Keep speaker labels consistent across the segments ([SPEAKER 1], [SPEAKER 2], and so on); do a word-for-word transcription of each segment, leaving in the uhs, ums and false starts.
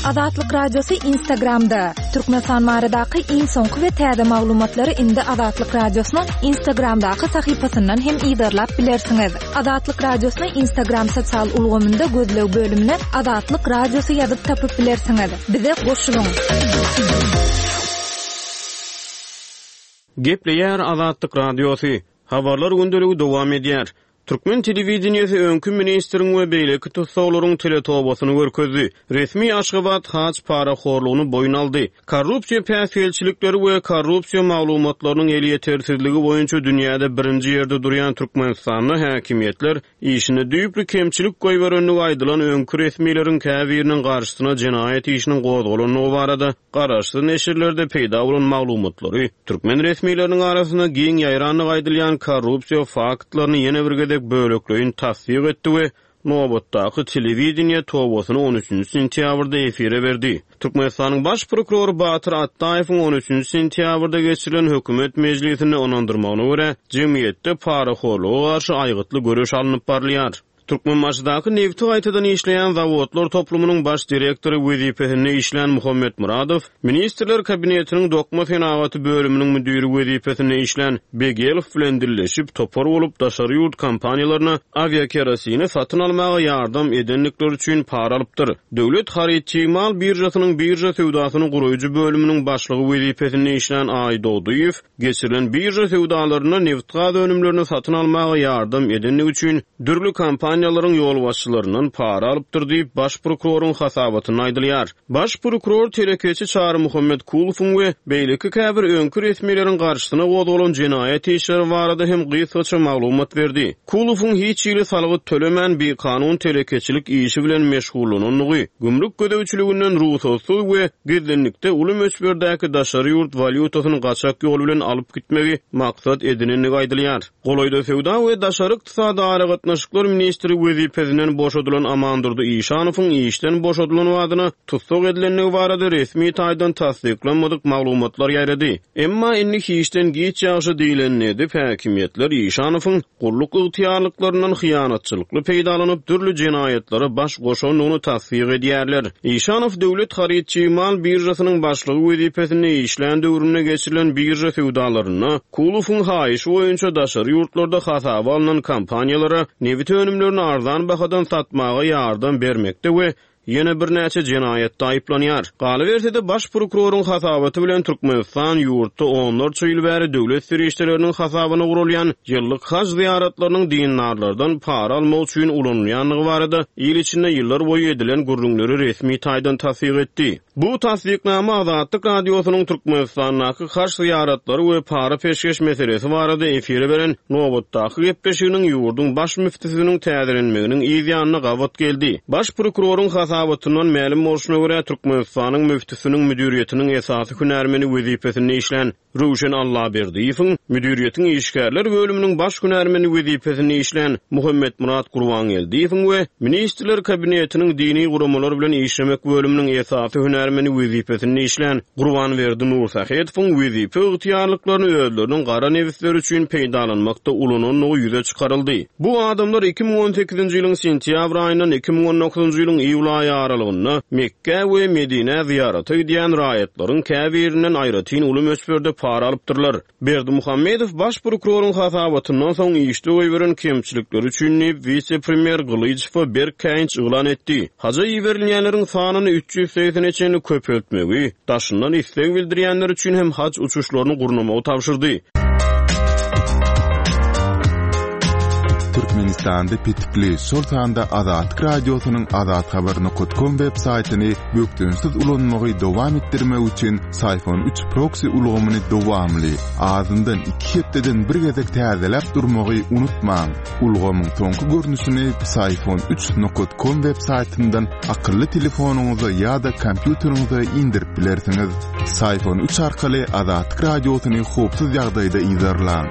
[SPEAKER 1] Azatlyk Radiosy Instagramda. Türkmenistan baradaky iň soňky we täze maglumatlary indi Azatlyk Radiosynyň Instagramdaky sahypasyndan hem yzarlap bilersiňiz. Azatlyk Radiosyny Instagram sosial ulgamynda gözleg bölümine Azatlyk Radiosy ýazyp tapyp bilersiňiz. Bize goşulyň.
[SPEAKER 2] Gepleýär Azatlyk Radiosy. Habarlar gündeligi dowam edýär. Türkmen telewideniýesi öňki ministriň we beýleki tussaglaryň teletobasyny görkezdi. Resmi Aşgabat haj parahorlugyny boýun aldy. Korrupsiýa päsgelçilikleri we korrupsiýa maglumatlarynyň elýetersizligi boýunça dünýäde birinji ýerde durýan Türkmenistanda häkimiýetler işinde düýpli kemçilik goýberendigi aýdylan öňki resmileriň käbiriniň garşysyna jenaýat işiniň gozgalandygy barada garaşsyz neşirlerde peýda bolan maglumatlary türkmen resmileriniň arasynda giň ýaýrandygy aýdylýan korrupsiýa faktlaryny ýene bir gezek bölekleýin tassyk etdi we nobatdaky telewideniýe tobasyny on üçünji sentýabrda efire berdi. Türkmenistanyň baş prokurory Batyr Atdaýewiň on üçünji sentýabrda geçirilen hökümet mejlisinde ynandyrmagyna görä, jemgyýetde parahorluga garşy aýgytly göreş alnyp barylýar. Türkmenbaşydaky nebti gaýtadan işleýän zawodlar toplumynyň baş direktory wezipesinde işlän Muhammet Muradow, Ministrler Kabinetiniň dokma senagaty bölüminiň müdiri wezipesinde işlän Begelow bilen dilleşip, topar bolup daşary ýurt kompaniýalaryna awiakerosini satyn almaga ýardam edendikleri üçin para alypdyr. Döwlet haryt çig mal biržasynyň birža söwdasyny guraýjy bölüminiň başlygy wezipesinde işlän Aýdogdyýew geçirilen birža söwdalarynda nebit-gaz önümlerini satyn almaga ýardam edendigi üçin dürli kompaniýalaryň ýolbaşçylaryndan para alypdyr diýip, baş prokuroryň hasabatynda aýdylýar. Baş prokuror telekeçi Çary Muhammet Kulowyň we beýleki käbir öňki resmileriň garşysyna gozgalan jenaýat işleri barada hem gysgaça maglumat berdi. Kulowyň hiç hili salgyt tölemän bikanun telekeçilik işi bilen meşgullanandygy, gümrük gözegçiliginden rugsatsyz we gizlinlikde uly möçberdäki daşary ýurt walýutasyny gaçak ýol bilen alyp gitmegi maksat edinendigi aýdylýar. Golaýda söwda we daşary ykdysady aragatnaşyklar ministri wezipesinden boşadylan Amandurdy Işanowyň işden boşadylan badyna tussag edilendigi barada resmi taýdan tassyklanmadyk maglumatlar ýaýrady. Emma indi hiçden giç ýagşy diýlenini edip, häkimiýetler Işanowyň gulluk ygtyýarlyklaryndan hyýanatçylykly peýdalanyp dürli jenaýatlara baş goşandygyny tassyk edýärler. Işanow döwlet haryt çig mal biržasynyň başlygy wezipesinde işlän döwründe geçirilen birža söwdalarynda Kulowyň haýyşy boýunça daşary ýurtlarda hasaba alnan kompaniýalara nebit önümlerini arzan bahadan satmaga ýardam bermekde we ýene birnäçe jenaýatda aýyplanýar. Galyberse-de baş prokuroryň hasabaty bilen Türkmenistan ýurtda onlarça ýyl bäri döwlet serişdeleriniň hasabyna gurulýan ýyllyk haj zyýaratlarynyň dindarlardan para almak üçin ulanylýandygy barada il içinde ýyllar boýy edilen gürrüňleri resmi taýdan tassyk etdi. Bu tassyknama Azatlyk Radiosynyň Türkmenistandaky haj zyýaratlary we para peşgeş meselesi barada efire beren nobatdaky gepleşiginiň ýurduň baş müftüsiniň täzelenmeginiň yz ýanyna gabat geldi. Baş prokuroryň hasabatyndan mälim bolşuna görä Türkmenistanyň müftüsiniň müdiriýetiniň esasy hünärmeni wezipesinde işlän Röwşen Allaberdiýewiň müdiriýetiň işgärler bölüminiň baş hünärmeni wezipesinde işlän Muhammet Murat Gurbangeldiýewiň we Ministrler Kabinetiniň dini guramalar bilen işlemek bölüminiň esasy hünärmeni wezipesinde işlän Gurbanberdi Nursahetowyň wezipe ygtyýarlyklaryny özleriniň gara nebisleri üçin peýdalanmakda ulanandygy ýüze çykaryldy. Bu adamlar iki müň on sekizinji ýylyň sentýabr aýyndan iki müň on dokuzynjy ýylyň iýul aýy aralygynda Mekge we Medinä zyýarata gidýän raýatlaryň käbirinden aýratyn uly möçberde para alypdyrlar. Berdimuhamedow baş prokuroryň hasabatyndan soň işde goýberen kemçilikleri üçin diýip wise-premýer Gylyjowa berk käýinç yglan etdi. Haja iberilýänleriň sanyny üç ýüz segsene çenli köpeltmegi, daşyndan isleg bildirýänler üçin hem hac uçuşlaryny gurnamagy tabşyrdy.
[SPEAKER 3] Türkmenistanda petikli, şol sanda Azatlyk Radiosynyň azathabar nokta com web saýtyny bökdençsiz ulanmagy dowam etdirmek üçin Syfon üç proxy ulgamyny dowamly, azyndan iki hepdeden bir gezek täzeläp durmagy unutmaň. Ulgamyň soňky görnüşini Syfon üç nokta com web saýtyndan akylly telefonyňyza ýa-da kompýuteriňize indirip bilersiňiz. Syfon üç arkaly Azatlyk Radiosyny howpsuz ýagdaýda yzarlaň.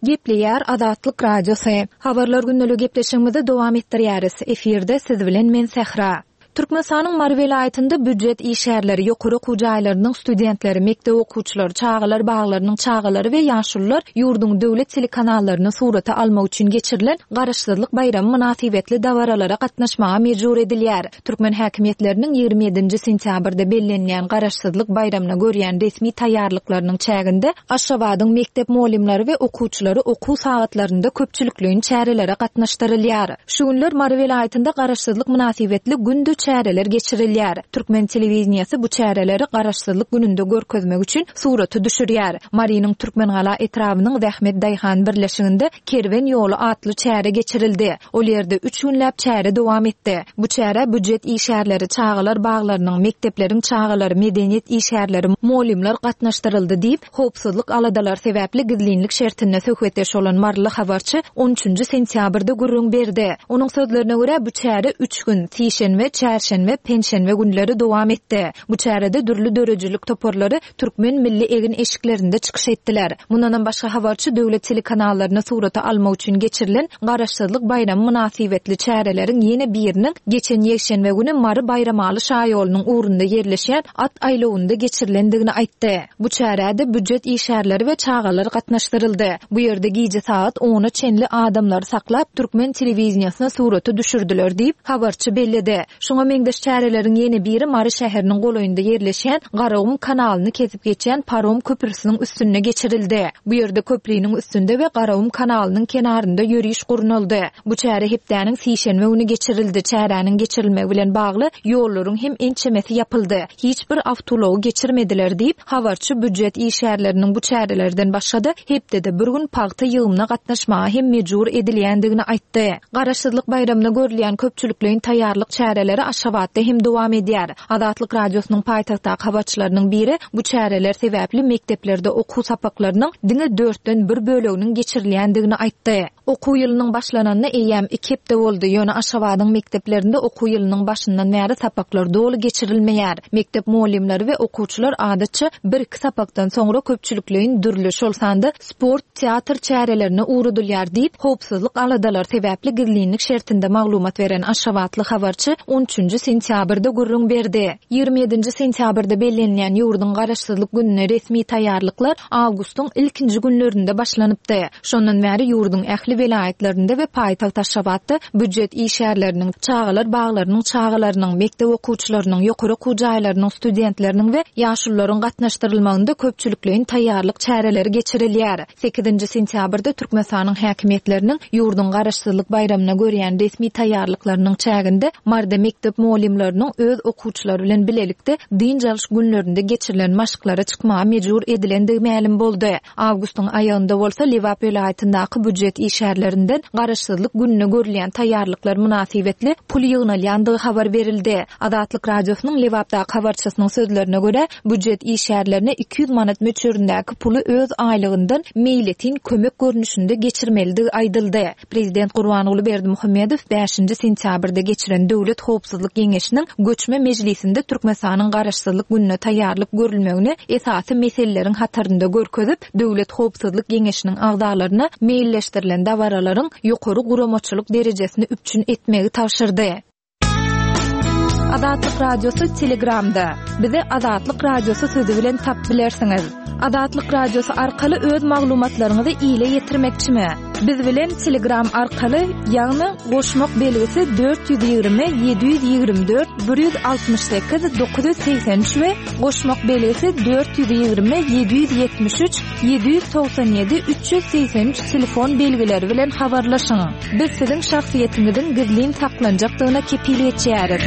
[SPEAKER 1] Gepleýär Azatlyk Radiosy. Habarlar gündelik gepleşigimizi dowam etdirýäris. Efirde siz bilen men Sähra. Türkmenistanyň Mary welaýatynda býujet işgärleri, ýokary okuw jaýlarynyň studentleri, mekdep okuwçylary, çagalar baglarynyň çagalary we ýaşulular ýurduň döwlet telekanallaryny surata almak üçin geçirilen Garaşsyzlyk baýramy mynasybetli dabaralara gatnaşmaga mejbur edilýär. Türkmen häkimiýetleriniň ýigrimi ýedinji sentýabrda bellenilýän Garaşsyzlyk baýramyna görýän resmi taýýarlyklarynyň çäginde Aşgabadyň mekdep mugallymlary we okuwçylary okuw sagatlarynda köpçülikleýin çärelere gatnaşdyrylýar. Şu günler Mary welaýatynda Garaşsyzlyk mynasybetli günde çäreler geçirilýär. Türkmen telewideniýesi bu çäreleri Garaşsyzlyk gününde görkezmek üçin surata düşürýär. Marynyň Türkmengala etrabynyň Zähmet daýhan birleşiginde Kerwen ýoly atly çäre geçirildi. Ol ýerde üç günläp çäre dowam etdi. Bu çärä býujet işgärleri, çagalar baglarynyň, mekdepleriň çagalary, medeniýet işgärleri, mugallymlar gatnaşdyryldy diýip, howpsuzlyk aladalary sebäpli gizlinlik şertinde söhbetdeş bolan maryly habarçy on üçünji sentýabrda gürrüň berdi. Onuň sözlerine görä, bu çäre üç gün, sişenbe, çärşenbe, penşenbe günleri dowam etdi. Bu çärede dürli döredijilik toparlary türkmen milli egin-eşiklerinde çykyş etdiler. Mundanam başga habarçy döwlet telekanallaryny surata almak üçin geçirilen Garaşsyzlyk baýramy mynasybetli çäreleriň ýene biriniň geçen ýekşenbe güni Mary Baýramaly şaýolunyň ugrunda ýerleşýän at aýlawynda geçirilendigini aýtdy. Bu çärä-de býujet işgärleri we çagalar gatnaşdyryldy. Bu ýerde gije sagat ona çenli adamlary saklap, türkmen telewideniýesine surata düşürdiler diýip, habarçy belledi. Şuňa meňzeş çäreleriň ýene biri Mary şäheriniň golaýynda ýerleşýän Garagum kanalyny kesip geçýän parom köprüsiniň üstünde geçirildi. Bu ýerde köpriniň üstünde we Garagum kanalynyň kenarynda ýöriş gurnaldy. Bu çäre hepdäniň sişenbe güni geçirildi. Çäräniň geçirilmegi bilen bagly ýollaryň hem ençemesi ýapyldy. Hiç bir awtoulagy geçirmediler diýip, habarçy býujet işgärleriniň bu çärelerden başga-da hepdede bir gün pagta ýygymyna gatnaşmaga hem mejbur edilýändigini aýtdy. Garaşsyzlyk baýramyna görülýän köpçülikleýin taýýarlyk çäreleri Aşgabatda hem dowam edýär. Azatlyk Radiosynyň paýtagtdaky habarçylarynyň biri bu çäreler sebäpli mekdeplerde okuw sapaklarynyň diňe dörtden bir böleginiň geçirilýändigini aýtdy. Okuw ýylynyň başlananyna eýýäm iki hepde boldy, ýöne Aşgabadyň mekdeplerinde okuw ýylynyň başyndan bäri sapaklar doly geçirilmeýär. Mekdep mugallymlary we okuwçylar adatça bir-iki sapakdan soňra köpçülikleýin dürli, şol sanda sport, teatr çärelerine ugradylýar diýip, howpsuzlyk aladalary sebäpli gizlinlik şertinde maglumat beren aşgabatly habarçy on üçünji sentýabrda gürrüň berdi. Ýigrimi ýedinji sentýabrda bellenilýän ýurduň Garaşsyzlyk gününe resmi taýýarlyklar awgustyň ilkinji günlerinde başlanypdy. Şondan bäri ýurduň ähli welaýatlarynda we paýtagt Aşgabatda býujet işgärleriniň, çagalar baglarynyň çagalarynyň, mekdep okuwçylarynyň, ýokary okuw jaýlarynyň studentleriniň we ýaşulularyň gatnaşdyrylmagynda köpçülikleýin taýýarlyk çäreleri geçirilýär. Sekizinji sentýabrda Türkmenistanyň häkimiýetleriniň ýurduň Garaşsyzlyk baýramyna görýän resmi taýýarlyklarynyň çäginde Maryda mekdep mugallymlarynyň öz okuwçylary bilen bilelikde dynç alyş günlerinde geçirilen maşklara çykmaga mejbur edilendigi mälim boldy. Awgustyň aýagynda bolsa Lebap welaýatyndaky býujet işgärlerinden Garaşsyzlyk gününe görülýän taýýarlyklar mynasybetli pul ýygnalýandygy habar berildi. Azatlyk Radiosynyň Lebapdaky habarçysynyň sözlerine görä, býujet işgärlerine iki ýüz manat möçberindäki puly öz aýlygyndan meýletin kömek görnüşinde geçirmelidigi aýdyldy. Prezident Gurbanguly Berdimuhamedow bäşinji sentýabrda geçiren Döwlet howpsuzlyk geňeşiniň göçme mejlisinde Türkmenistanyň Garaşsyzlyk gününe taýýarlyk görülmegini esasy meseleleriň hatarynda görkezip, Döwlet howpsuzlyk geňeşiniň agzalaryna meýilleşdirilen dabaralaryň ýokary guramaçylyk derejesini üpjün etmegi tabşyrdy. Azatlyk Radiosy Telegramda. Bizi Azatlyk Radiosy sözi bilen tap bilersiňiz. Azatlyk Radiosy arkaly öz maglumatlaryňyzy ile ýetirmekçimi? Biz bilen Telegram arkaly, ýagny goşmak belgisi dört ýüz ýigrimi ýedi ýüz ýigrimi dört bir ýüz altmyş sekiz dokuz ýüz segsen üç we goşmak belgisi dört ýüz ýigrimi ýedi ýüz ýetmiş üç ýedi ýüz togsan ýedi üç ýüz segsen üç telefon belgileri bilen habarlaşyň. Biz siziň şahsyýetiňiziň gizlin saklanjakdygyna kepil geçýäris.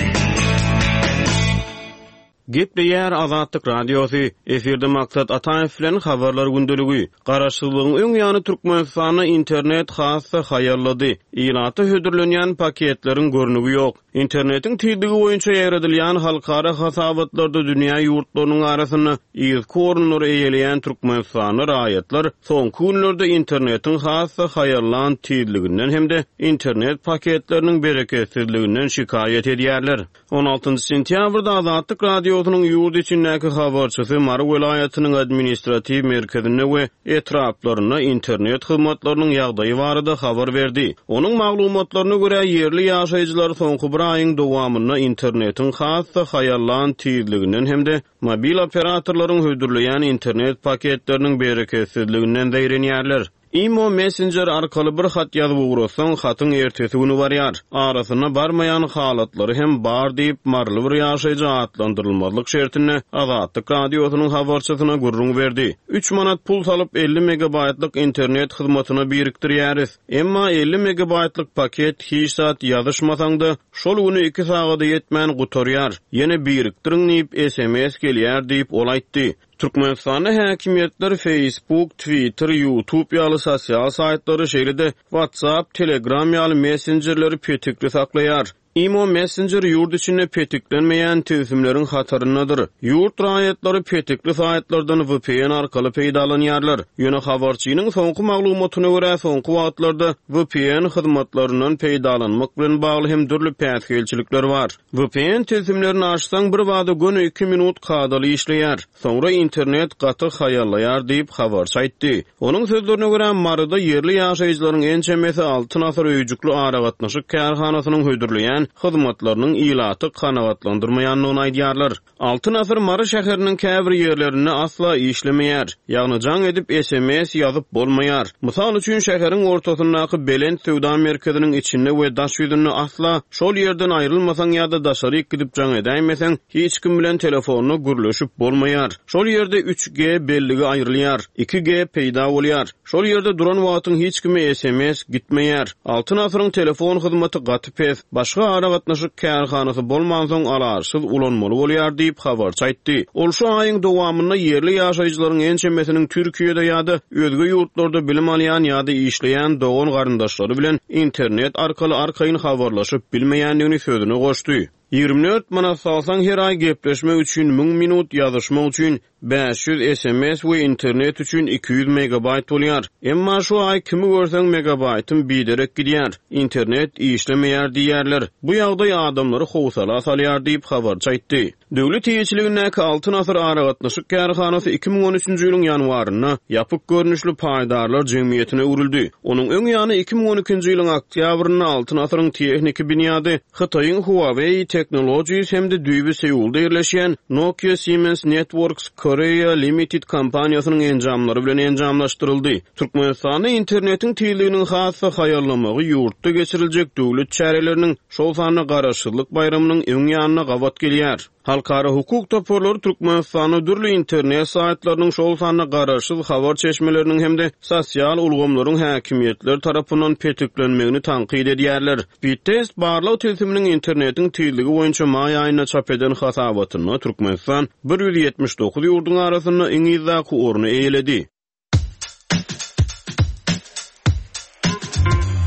[SPEAKER 2] Gepleýär Azatlyk Radiosy. Efirde Maksat Ataýew bilen habarlar gündeligi. Garaşsyzlygyň öň ýany Türkmenistanda internet has-da haýallady. Ilata hödürlenýän paketleriň görnügi ýok. Internetiň tizligi boýunça ýaýradylýan halkara hasabatlarda dünýä ýurtlarynyň arasynda yzky orunlary eýeleýän Türkmenistanda raýatlar soňky günlerde internetiň has-da haýallan tizliginden hem-de internet paketleriniň bereketsizliginden şikaýat edýärler. On altynjy sentýabrda Azatlyk Radiosy Radiosynyň ýurt içindäki habarçysy Mary welaýatynyň administratiw merkezinde we etraplarynda internet hyzmatlarynyň ýagdaýy barada habar berdi. Onuň maglumatlaryna görä, ýerli ýaşaýjylar soňky bir aýyň dowamynda internetiň has-da haýallan tizliginden hem-de mobil operatorlaryň hödürleýän internet paketleriniň bereketsizliginden zeýrenýärler. Imo messenger arkaly bir hat ýazyp ugratsaň, hatyň ertesi güni barýar. Arasynda barmaýan halatlary hem bar diýip, maryly bir ýaşaýjy atlandyrylmazlyk şertinde Azatlyk Radiosynyň habarçysyna gürrüň berdi. Üç manat pul salyp elli megabaýtlyk internet hyzmatyna birikdirýäris. Emma elli megabaýtlyk paket hiç zat ýazyşmasaň-da, şol güni iki sagada ýetmän gutarýar. Ýene birikdiriň diýip S M S gelýär diýip, ol aýtdy. Türkmenistanda häkimiýetler Facebook, Twitter, YouTube ýaly sosial saýtlary, şeýle-de WhatsApp, Telegram ýaly messenjerleri petikli saklaýar. Imo Messenger ýurt içinde petiklenmeýän tilsimleriň hataryndadyr. Ýurt raýatlary petikli saýtlardan V P N arkaly peýdalanýarlar. Ýöne habarçynyň soňky maglumatyna görä, soňky wagtlarda V P N hyzmatlaryndan peýdalanmak bilen bagly hem dürli päsgelçilikler bar. V P N tilsimlerini açsaň, bir bada göni iki minut kadaly işleýär. Soňra internet gaty haýallaýar diýip habarçy aýtdy. Onuň sözlerine görä, Maryda ýerli ýaşaýjylaryň ençemesi Altyn asyr öýjüklü aragatnaşyk kärhanasynyň hödürleýän hyzmatlarynyň ilaty kanagatlandyrmaýandygyny aýdýarlar. Altyn asyr Mary şäheriniň käbir ýerlerinde asla işlemeýär. Ýagny jaň edip S M S ýazyp bolmaýar. Mysal üçin, şäheriň ortasyndaky Belent söwda merkeziniň içinde we daş ýüzünde asla şol ýerden aýrylmasaň ýa-da daşaryk gidip jaň edäýmeseň, hiç kim bilen telefonda gürleşip bolmaýar. Şol ýerde üç G belligi aýrylýar, iki G peýda bolýar. Şol ýerde duran wagtyň hiç kime S M S gitmeýär. Altyn asyryň telefon hyzmaty gaty pes. Başga aragatnaşyk kärhanasy bolmansoň alaçsyz ulanmaly bolýar diýip habarçy aýtdy. Ol şu aýyň dowamynda ýerli ýaşaýjylaryň ençemesiniň Türkiýede ýa-da özge ýurtlarda bilim alýan ýa-da işleýän dogan garyndaşlary bilen internet arkaly arkaýyn habarlaşyp bilmeýändigini sözüne goşdy. Ýigrimi dört manat salsaň her aý gepleşmek üçin müň minut, ýazyşmak üçin bäş ýüz S M S we internet üçin iki ýüz megabayt bolýar. Emma şu aý kimi görseň megabaytym biderek gidýär. Internet işlemeýär diýýärler. Bu ýagdaý adamlary howsala salýar diýip habarçy aýtdy. Döwlet eýeçiligindäki Altyn asyr aragatnaşyk kärhanasy iki müň on üçünji ýylyň ýanwarynda ýapyk görnüşli paýdarlar jemgyýetine öwrüldi. Onuň öň ýany iki müň on ikinji ýylyň oktýabrynda Altyn asyryň tehniki binýady Hytaýyň Huawei Technologies hem-de düýbi Seulda ýerleşýän Nokia Siemens Networks Korea Limited kompaniýasynyň enjamlary bilen enjamlaşdyryldy. Türkmenistanda internetiň tizliginiň has-da haýallamagy ýurtda geçiriljek döwlet çäreleriniň, şol sanda Garaşsyzlyk baýramynyň öň ýanyna gabat gelýär. Halkara hukuk toparlary Türkmenistanda dürli internet saýtlarynyň, şol sanda garaşsyz habar çeşmeleriniň hem-de sosial ulgamlaryň häkimiýetler tarapyndan petiklenmegini tankyt edýärler. Speedtest barlag tilsiminiň internetiň tizligi boýunça maý aýynda çap eden hasabatynda Türkmenistan ýüz ýetmiş dokuz ýurduň arasynda iň yzdaky orny eýeledi.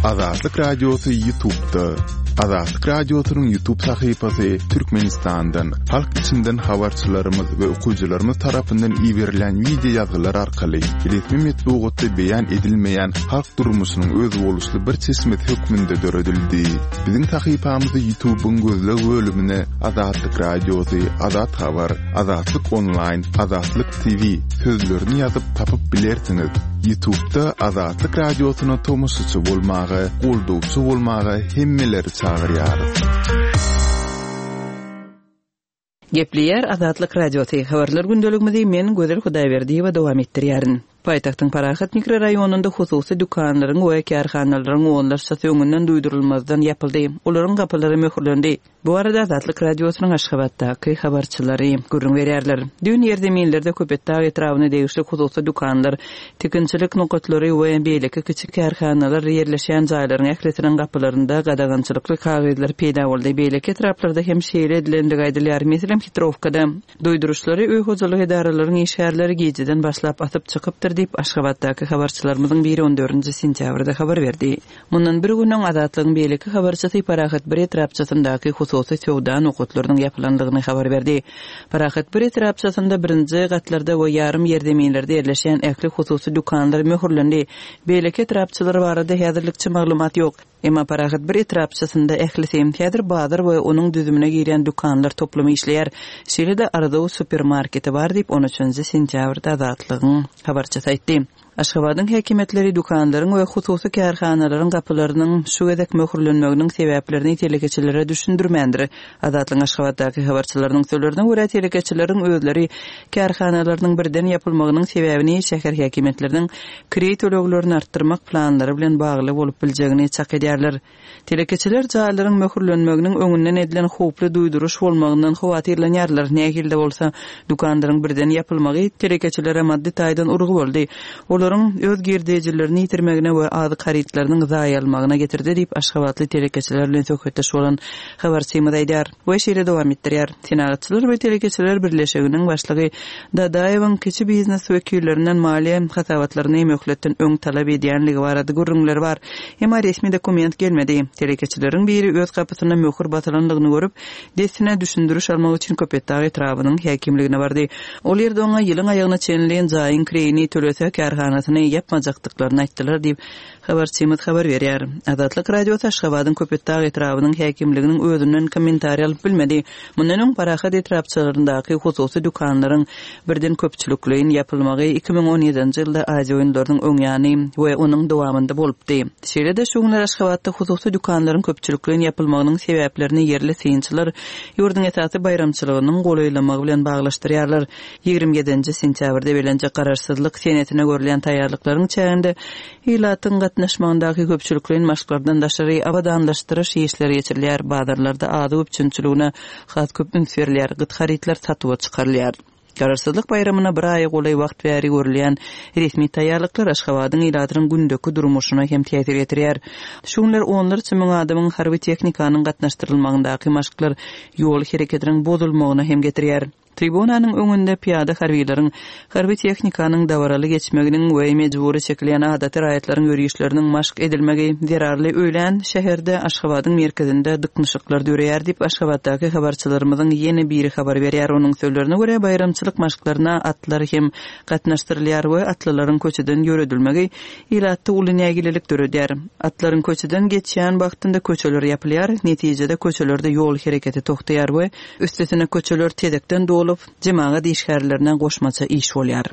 [SPEAKER 3] Azatlyk Radiosy YouTube'da. Azatlyk Radiosynyň YouTube sahypasy Türkmenistandan, halk içinden habarçylarymyz we okyjylarymyz tarapyndan iberilen wideo ýazgylar arkaly resmi metbugatda beýan edilmeýän halk durmuşynyň özboluşly bir çeşmesi hökmünde döredildi. Biziň sahypamyzy YouTube'yň gözleg bölümine Azatlyk Radiosy, Azat Habar, Azatlyk Online, Azatlyk T V sözlerini ýazyp tapyp bilersiňiz. YouTube'da Azatlyk Radiosyna tomaşaçy bolmaga, goldawçy bolmaga hemmeleri çagyrýarys.
[SPEAKER 4] Gepleýär Azatlyk Radiosy. Habarlar gündeligimizi men Gözel Hudaýberdiýewa dowam etdirýärin. Paýtagtyň Parahat mikrorayonunda hususy dükanlaryň we kärhanalaryň onlarçasy öňünden duýdurylmazdan ýapyldy. Olaryň gapylary möhürlendi. Bu arada Azatlyk Radiosynyň Aşgabatdaky habarçylary gürrüň berýärler. Düýn ýerzeminlerde Köpetdag etrabyna degişli hususy dükanlar, tikinçilik nokatlary we beýleki kiçi kärhanalar ýerleşen jaýlaryň ählisiniň gapylarynda gadagançylykly kagyzlar peýda boldy. Beýleki etraplarda hem şeýle edilendigi aýdylýar. Meselem, Hitrowkada duýduryşlary öý hojalyk edaralaryň işgärleri gijeden başlap atyp çykypdyr. diýip, Aşgabatdaky habarçylarymyzyň biri on dördünji sentýabrda habar berdi. Mundan bir gün öň Azatlygyň beýleki habarçysy Parahat bir etrapçasyndaky hususy söwda nokatlarynyň ýapylandygyny habar berdi. Parahat bir etrapçasynda birinji gatlarda we ýarym ýerzeminlerde ýerleşýän ähli hususy dükanlar möhürlendi. Beýleki etrapçalar barada häzirlikçe maglumat ýok. Emma Parahat bir etrapçasynda ählisi häzir bazar we onuň düzümine girýän dükanlar toplumy işleýär. Şeýle-de Arzuw supermarketi bar diýip on üçünji sentýabrda Azatlygyň habarçysy aýtdy. Aşgabadyň häkimiýetleri dükanlaryň we hususy kärhanalaryň gapylarynyň şu gezek möhürlenmeginiň sebäplerini telekeçilere düşündirmändir. Azatlygyň Aşgabatdaky habarçylarynyň sözlerine görä telekeçileriň özleri kärhanalarynyň birden ýapylmagynyň sebäbini şäher häkimiýetleriniň kireý töleglerini artdyrmak planlary bilen bagly bolup biljegini çak edýärler. Telekeçiler jaýlaryň möhürlenmeginiň öňünden edilen howply duýduryş bolmagyndan howatyrlanýarlar. Nähili bolsa dükanlaryň birden ýapylmagy telekeçilere maddy taýdan urgy boldy. Olaryň öz girdejilerini ýitirmegine we azyk harytlarynyň zaýalmagyna getirdi diýip Aşgabatly telekeçiler bilen söhbetdeş bolan habarçymyz aýdar. We şeýle dowam etdirýär. Senagatçylar we telekeçiler birleşiginiň başlygy Dadaýewiň kiçi biznes wekillerinden maliýe hasabatlaryny möhletden öň talap edýänligi barada gürrüňler bar. Emma resmi dokument gelmedi. Telekeçileriň biri öz gapysyna möhür basylandygyny görüp, dessine düşündiriş almak üçin Köpetdag etrabynyň häkimligine bardy. Ol ýerde oňa ýylyň aýagyna çenli jaýyň kireýini tölese kärhanasyny ýapmajakdyklaryny aýtdylar diýip habarçymyz habar berýär. Azatlyk Radiosy Aşgabadyň Köpetdag etrabynyň häkimliginiň özünden kommentariý alyp bilmedi. Mundan öň Parahat etrapçalaryndaky hususy dükanlaryň birden köpçülikleýin ýapylmagy iki müň on ýedinji ýylda Aziýa oýunlarynyň öň ýany we onuň dowamynda bolupdy. Şeýle-de şu günler Aşgabatda hususy dükanlaryň köpçülikleýin ýapylmagynyň sebäplerini ýerli synçylar ýurduň esasy baýramçylygynyň golaýlamagy bilen baglaşdyrýarlar. Ýigrimi ýedinji sentýabrda belenjek garaşsyzlyk senetine görülýän taýýarlyklaryň çäginde ilatyň gatnaşmagyndaky köpçülikleýin maşklardan daşary abadanlaşdyryş işleri geçirilýär. Bazarlarda azyk üpjünçiligine has köp üns berilýär. Gyt harytlar satuwa çykarylýar. Garaşsyzlyk baýramyna bir aýa golaý wagt bäri görülýän resmi taýýarlyklar Aşgabadyň ilatynyň gündeki durmuşyna hem täsir etirýär. Şu günler onlarça müň adamyň harby tehnikanyň gatnaşdyrylmagyndaky maşklar ýol hereketiniň bozulmagyna hem getirýär. Tribunanyň öňünde piýada harbiýlaryň, harby tehnikanyň dabaraly geçmeginiň we mejbury çekilýän adaty raýatlaryň ýörişleriniň maşk edilmegi zerarly öýlän şäherde Aşgabadyň merkezinde dyknyşyklar döreýär diýip Aşgabatdaky habarçylarymyzyň ýene biri habar berýär. Onuň sözlerine görä baýramçylyk maşklaryna atlar hem gatnaşdyrylýar we atlylaryň köçeden ýöredilmegi ilatda uly nägilelik döredýär. Atlaryň köçeden geçýän wagtynda köçeler ýapylýar, netijede köçelerde ýol hereketi togtaýar we üstesine köçeler tezekden dolup jemagat işgärlerine goşmaça iş bolýar.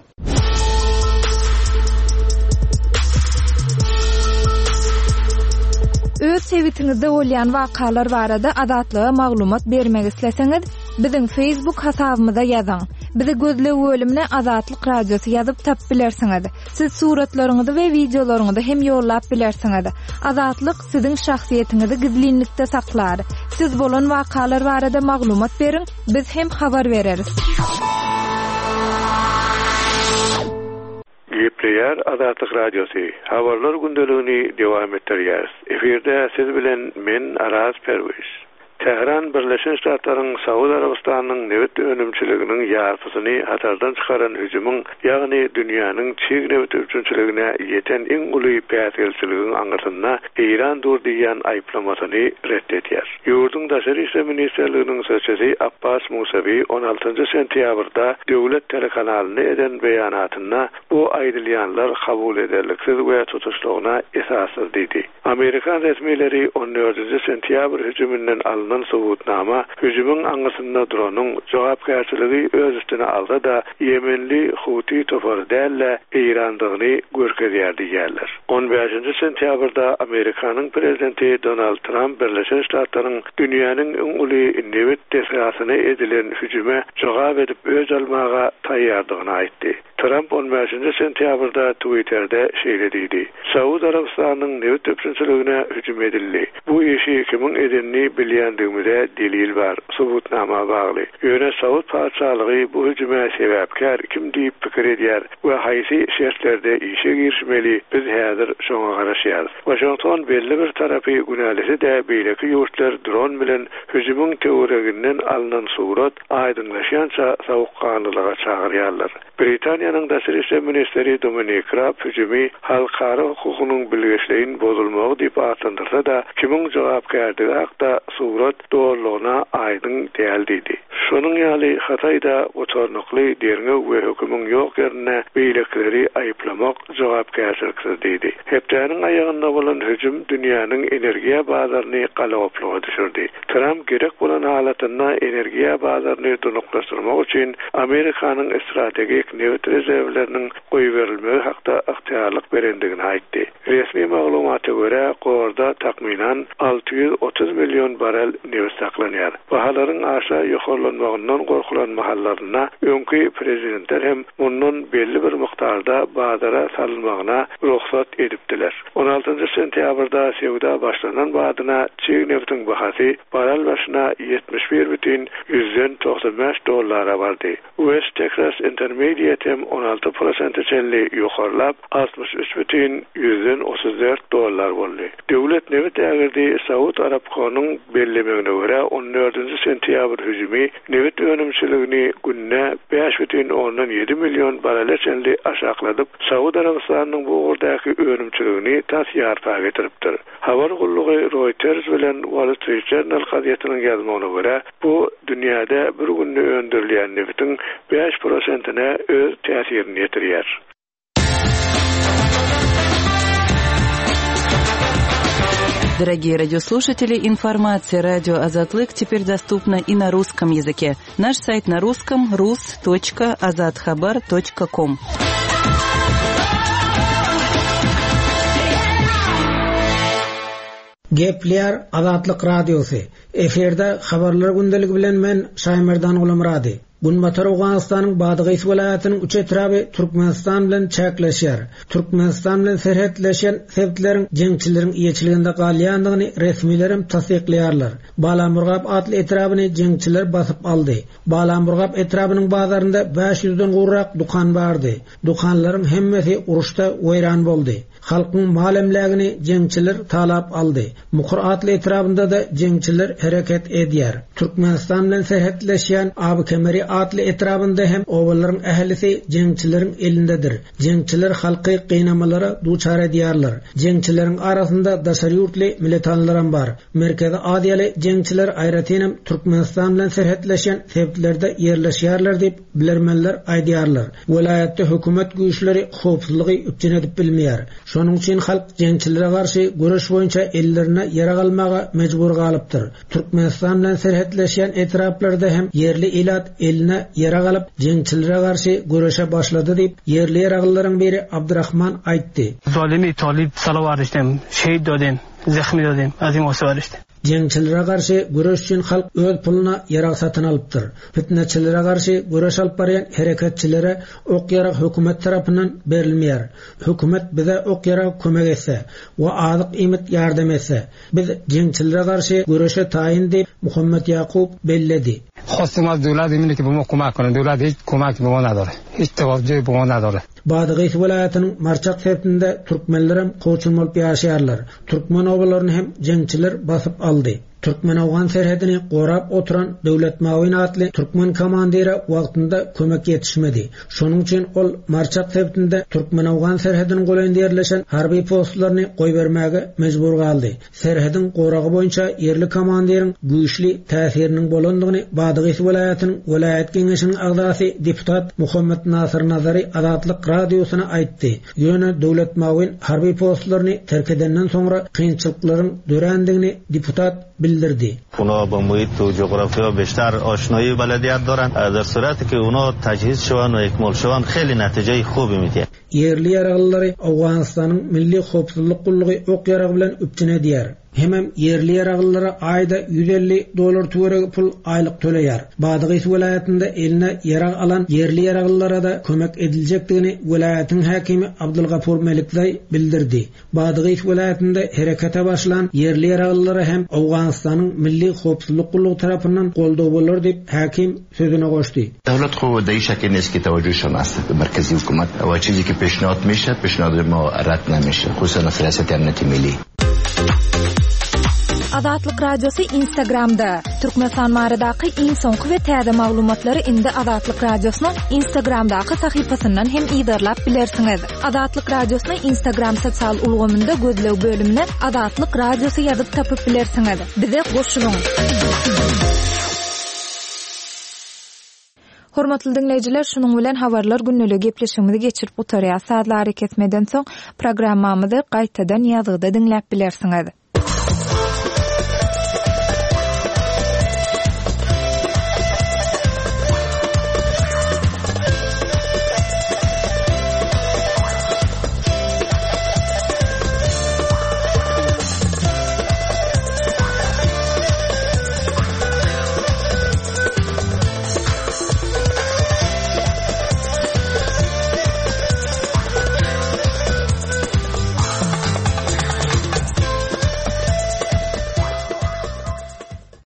[SPEAKER 1] Öz sebitiňizde bolýan wakalar barada Azatlyga maglumat bermek isleseňiz, biziň Facebook hasabymyza ýazyň. Bizi gözleg bölümine Azatlyk Radiosy ýazyp tap bilersiňiz. Siz suratlaryňyzy we wideolaryňyzy hem ýollap bilersiňiz. Azatlyk siziň şahsyýetiňizi gizlinlikde saklar. Siz bolan wakalar barada maglumat beriň, biz hem habar bereris.
[SPEAKER 5] Gepleýär Azatlyk Radiosy. Habarlar gündeligini dowam etdirýär. Efirde siz bilen men Araz Perwiz. Tähran Birleşen Ştatlaryň Saud Arabystanynyň nebit önümçiliginiň ýarpysyny hatardan çykaran hüjümiň, ýagny dünýäniň çig nebit üpjünçiligine ýeten iň uly päsgelçiligiň aňyrsynda Eýran dur diýen aýyplamasyny ret edýär. Ýurduň Daşary işler ministrliginiň sözçüsi Abbas Musawi on altynjy sentýabrda döwlet telekanalyna eden beýanatynda bu aýdylýanlar kabul ederliksiz we tutuşlygyna esassyz diýdi. Amerikan resmileri on dördünji sentýabr hüjüminden alynan subutnama hüjümiň aňyrsynda duranyň jogapkärçiligi öz üstüne alsa da Ýemenli Huti topary däl-de Eýrandygyny görkezýär diýýärler. On bäşinji sentýabrda Amerikanyň prezidenti Donald Trump Birleşen Ştatlaryň dünýäniň iň uly nebit desgasyna edilen hüjüme jogap edip öz almaga taýýardygyny aýtdy. Trump on bäşinji sentýabrda Twitter'de şeýle diýdi: Saud Arabystanynyň nebit üpjünçiligine hüjüm edildi. Bu işi kimiň edenini bilýändigimize delil bar, subutnama bagly. Ýöne Saud patyşalygy bu hüjüme sebäpkär kim diýip pikir edýär we haýsy şertlerde işe girişmeli, biz häzir şoňa garaşýarys. Washington belli bir tarapy günälisi de beýleki ýurtlar dron bilen hüjümiň töwereginden alynan surat aýdyňlaşýança sowukganlylyga çagyrýarlar. Britaniýanyň Britaniýanyň daşary işler ministri Dominik Raab hüjümi halkara hukugynyň bilgeşleýin bozulmagy diýip atlandyrsa-da, kimiň jogapkärdigi hakda surat dolulygyna aýdyň däl diýdi. Şonuň ýaly Hytaýda gutarnykly derňew we hökümiň ýok ýerinde beýlekileri aýyplamak jogapkärçiliksiz diýdi. Hepdäniň aýagynda bolan hüjüm dünýäniň energiýa bazaryny galagopluga düşürdi. Tramp gerek bolan halatynda energiýa bazaryny durnuklaşdyrmak üçin Amerikanyň strategik nebit rezerwleriniň goýberilmegi hakda ygtyýarlyk berendigini aýtdy. Resmi maglumata görä, gorda takmynan alty ýüz otuz million barel nebit saklanýar. Bahalaryň aşa ýokarlanmagyndan gorkulan mahallarynda öňki prezidentler hem mundan belli bir mukdarda bazara salynmagyna rugsat edipdiler. On altynjy sentýabrda söwda başlanan badyna çig nebitiň bahasy barel başyna ýetmiş bir bütin ýüzden togsan bäş dollara bardy. West Texas Intermediate hem on alty prosente çenli ýokarlap, altmyş üç bütin ýüzden otuz dört dollar boldy. Döwlet nebit ägirdi Saud Arabkonyň bellemegine görä, on dördünji sentýabr hüjümi nebit önümçiligini günde bäş bütin ondan ýedi million barele çenli aşakladyp, Saud Arabystanynyň bu ugurdaky önümçiligini tas ýarpa getiripdir. Habar gullugy Reuters bilen Wall Street Journal gazetiniň ýazmagyna görä, bu dünýäde bir günde öndürilýän nebitiň bäş prosentine öz täsirini ýetirýär.
[SPEAKER 4] Дорогие радиослушатели, информация радио Азатлык теперь доступна и на русском языке. Наш сайт на русском рус точка азатхабар точка ком.
[SPEAKER 6] Gepleýär Azatlyk Radiosy. Efirde habarlar gündeligi bilen men Şaýmerdan Gulamyrady. Günbatar Owganystanyň Badagys welaýatynyň üç etraby Türkmenistan bilen çäkleşýär. Türkmenistan bilen serhetleşen sebitleriň jeňçileriň eýeçiliginde galýandygyny resmilerim tassyklaýarlar. Balamurgap atly etrabyny jeňçiler basyp aldy. Balamurgap etrabynyň bazarynda bäş ýüzden gowrak dukan bardy. Dukanlaryň hemmesi uruşda weýran boldy. Halkyň mal emlägini jeňçiler talap aldy. Mukur atly etrabynda da jeňçiler hereket edýär. Türkmenistan bilen serhetleşýän Abykemeri atly etrabynda hem obalaryň ählisi jeňçileriň elindedir. Jeňçiler halky gynamalara duçar edýärler. Jeňçileriň arasynda daşary ýurtly militanlaram bar. Merkezi Aziýaly jeňçiler aýratynam Türkmenistan bilen serhetleşen sebitlerde ýerleşýärler diýip bilermenler aýdýarlar. Welaýatda hökümet güýçleri howpsuzlygy üpjün edip bilmeýär. Şonuň üçin halk jeňçilere garşy göreş boýunça ellerine ýarag almaga mejbur galypdyr. Türkmenistan bilen serhetleşen etraplarda hem ýerli ilat eline ýarag alyp jeňçilere garşy göreşe başlady diýip ýerli ýaraglylaryň biri Abdurrahman aýtdy.
[SPEAKER 7] Zalimi talib salavar iştem, şehit dodem, zehmi dodem, azim osvar iştem.
[SPEAKER 6] Jeňçilere garşy göreş üçin halk öz puluna ýarag satyn alypdyr. Fitneçilere garşy göreş alyp barýan hereketçilere ok ýarag hökümet tarapyndan berilmeýär. Hökümet bize ok ýarag kömek etse we azyk iýmit ýardam etse, biz jeňçilere garşy göreşe taýyn diýip Muhammet Ýakup belledi.
[SPEAKER 8] Khostum az döwlet emini ki bu ma kömek konu, döwlet hiç kömek bu ma nadore. Hiç tewajjuh bu ma nadore.
[SPEAKER 6] Badagys welaýatynyň Marçak sebitinde türkmenlerem koçun bolup ýaşaýarlar. Türkmen obalaryny hem jeňçiler basyp aldy. Türkmen-Owgan serhedini gorap oturan Döwlet Mawin atly türkmen komandiri wagtynda kömek ýetişmedi. Şonuň üçin ol Marçak sebitinde Türkmen-Owgan serhediniň golaýynda ýerleşen harby postlaryny goýbermäge mejbur galdy. Serhediň goragy boýunça ýerli komandiriň güýçli täsiriniň bolandygyny Badagys welaýatynyň welaýat geňeşiniň agzasy deputat Muhammet Nasir Nazary Azatlyk radiosyna aýtdy. Ýöne Döwlet Mawin harby postlaryny terk edenden soňra kynçylyklaryň dörändigini deputat bildirdi.
[SPEAKER 9] اونا با محیط و جغرافیا بیشتر آشنایی بلدیت دارن. در صورتی که اونا تجهیز شوند و اکمال شوند خیلی نتیجه خوبی میده.
[SPEAKER 6] Ýerli ýaraglyary Owganystanyň Milli Howpsuzlyk Gullugy ok ýaragy bilen üpjün edýär. Hemem ýerli ýaraglylara aýda ýüz elli dollar töweregi pul aýlyk töleýär. Badagys welaýatynda eline ýarag alan ýerli ýaraglylara da kömek ediljekdigini welaýatyň häkimi Abdulgafur Melikzaý bildirdi. Badagys welaýatynda herekete başlan ýerli ýaraglylara hem Owganystanyň Milli Howpsuzlyk Gullugy tarapyndan goldaw bolar diýip häkim sözüne goşdy.
[SPEAKER 10] Döwlet خو د این شکل نیست که توجهشان است به مرکزی حکومت و چیزی که پیشنهاد میشه پیشنهاد ما رد نمیشه، خصوصا سیاست امنیت ملی.
[SPEAKER 1] Azatlyk Radiosy Instagramda. Türkmenistan baradaky iň soňky we täze maglumatlary indi Azatlyk Radiosynyň Instagramdaky sahypasyndan hem yzarlap bilersiňiz. Azatlyk Radiosyny Instagram sosial ulgamynda gözleg bölümine Azatlyk Radiosy ýazyp tapyp bilersiňiz. Bize goşulyň. Hormatly diňleýjiler, şunuň bilen habarlar gündeligi gepleşigimizi geçirip gutarýar. Sazly arakesmeden soň programmamyzy gaýtadan ýazgyda diňläp bilersiňiz.